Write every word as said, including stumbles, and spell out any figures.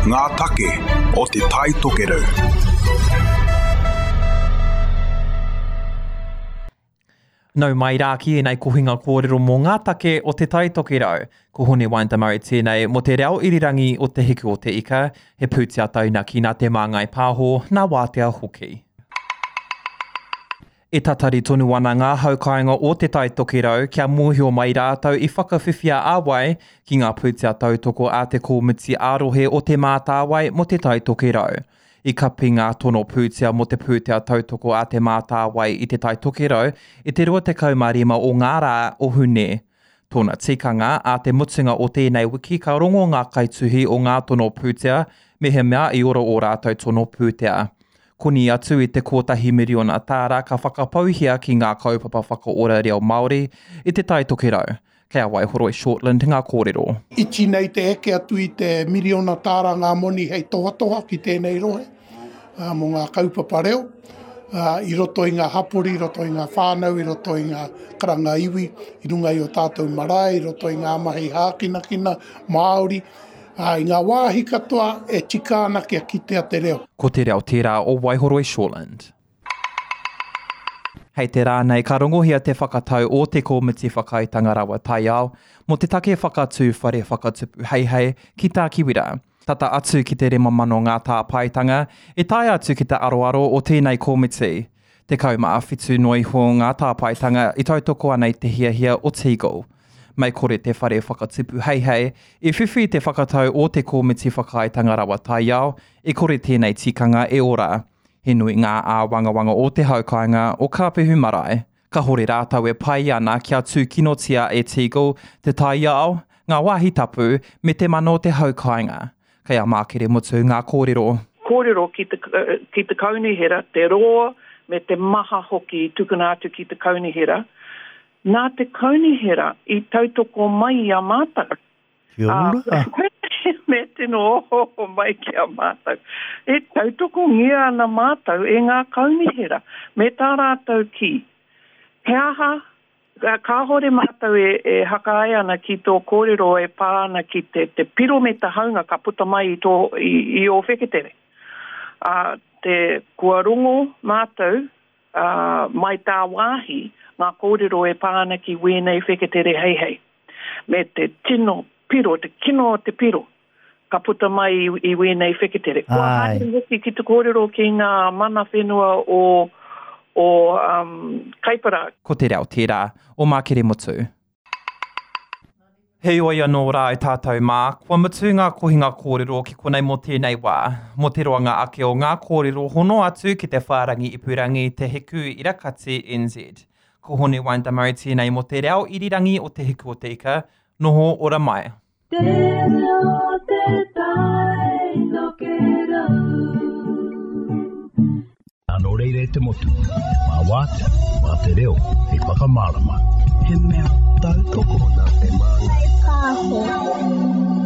Ngā take o Te Tai Tokerau. Nau mai rā ki ēnei kohinga kōrero mō ngā take o Te Tai Tokerau. Ko Hone Windamurray tēnei mō te reo irirangi o Te Hiku o Te Ika, he pūtea taunaki nā Te Māngai Pāho, nā Wātea hoki. E tatari tonu ana ngā haukāinga o Te Tai Tokerau kia mōhio mai rātou i whakawhiwhia a wai ki ngā pūtea tautoko a te Kōmiti ā-rohe o Te Mātāwai mō Te Tai Tokerau. I kapi ngā tono pūtea mō te pūtea tautoko a Te Mātāwai i Te Tai Tokerau i te rua tekau mā rima o ngā rā o Hune. Tōna tikanga, ā te mutunga o tēnei wiki ka rongo ngā kaituhi o ngā tono pūtea mehemea i ora ō rātou tono pūtea. Koni atu i te kotahi miriona tāra ka whakapauhia ki ngā kaupapa whakaora reo Māori i Te Tai Tokerau. Kei a Waihoroi Shortland ngā kōrero. Iti nei te eke atu i te miriona tāra ngā moni hei tohatoha ki tēnei rohe, ā, mō ngā kaupapa reo, ā, i roto i ngā hapori, i roto i ngā whānau, i roto i ngā karanga iwi, i runga i o tātou marae, i roto i ngā mahi hākinakina Māori, ā, i ngā wāhi katoa e tika ana kia kitea te reo. Ko te reo tērā o Waihoroi Shortland. Hei te rā nei ka rongohia te whakatau o te Kōmiti Whakaaetanga Rawa Taiao mō te take whakatū whare whakatupu heihei ki Tākiwira. Tata atu ki te rima mano ngā tāpaetanga e tae atu ki te aroaro o tēnei kōmiti. Tekau mā whitu noa iho ngā tāpaetanga i tautoko ana i te hiahia o Teagle. Mei kore te whare whakatupu heihei i whiwhi te whakatau o te Kōmiti Whakaaetanga Rawa Taiao e kore tēnei tikanga e ora. He nui ngā āwangawanga o te haukāinga o Kāpehu Marae. Ka hore rātou e pai ana kia tūkinotia e Teagle te taiao, ngā wāhi tapu, me te mana o te haukāinga. Kei a Mākere Mutu ngā kōrero. Kōrero ki te, ki te kaunihera, te roa me te maha hoki i tukuna atu ki te kaunihera. Nā te kaunihera i tautoko mai i a mātou. Kia ora. Me tino oho mai ki a mātou. E tautokongia ana mātou e ngā kaunihera. Me tā rātou ki, he aha, kāhore mātou e, e hakae ana ki tō kōrero e pā ana ki te, te piro me te haunga ka puta mai i, tō, i, i ō wheketere. Ā, te, kua rongo mātou, ā, mai tā wāhi ngā kōrero e pā ana ki wēnei wheketere heihei. Me te tino piro, te kino o te piro, ka puta mai i, i wēnei wheketere. Kua haere hoki ki te kōrero ki ngā mana whenua o, o um, Kaipara. Ko te reo tērā o Mākere Mutu. Heoi anō rā e tātou mā, kua mutu ngā kohinga kōrero ki konei mō tēnei wā. Mō te roanga ake o ngā kōrero hono atu ki te whārangi ipurangi Te Hiku Irakati N Z. Ko Hone Windamurray tēnei mō te reo irirangi o Te Hiku o Te Ika, noho ora mai. Te reo te tai tokerau. Nō reira e te motu, mā wātea, mā te reo, hei whakamārama. He mea tautoko nā Te Māngai Pāho.